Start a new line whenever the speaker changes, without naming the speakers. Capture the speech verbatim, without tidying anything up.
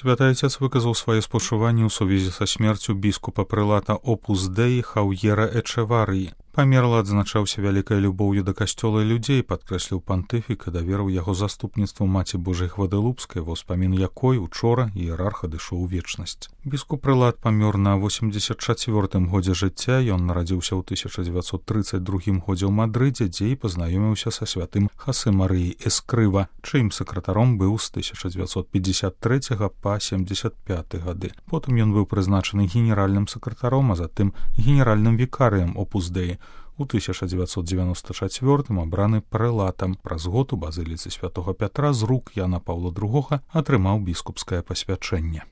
Святы Отец выказаў свае спачуванні ў сувязі са смерцю біскупа прэлата Опус Дэі Хаўера Эчэварыі. Памерла адзначаўся вялікай любоўю да касцёла і людзей, падкрэсліў пантыфік і даверыў яго заступніцтву маці Божай Гвадэлупскай, ва ўспамін якой учора іерарх адышоў у вечнасць. Біскуп прэлат памёр на восемдзесят чацвёртым годзе жыцця. Ён нарадзіўся ў тысяча дзевяцьсот трыццаць другім годзе ў Мадрыдзе, дзе і пазнаёміўся са святым Хасе Марыяй Эскрыва, чыім сакратаром быў з тысяча дзевяцьсот пятьдесят трэцяга па семьдесят пяты гады. Потым ён быў прызначаны генеральным сакратаром, а затым генеральным вікарыем Опус Дэі. У тысяча дзевяцьсот дзевяноста чацвёртым абраны прэлатам. Праз год у базыліцы святога Пятра з рук Яна Паўла другога атрымаў біскупскае пасвячэнне.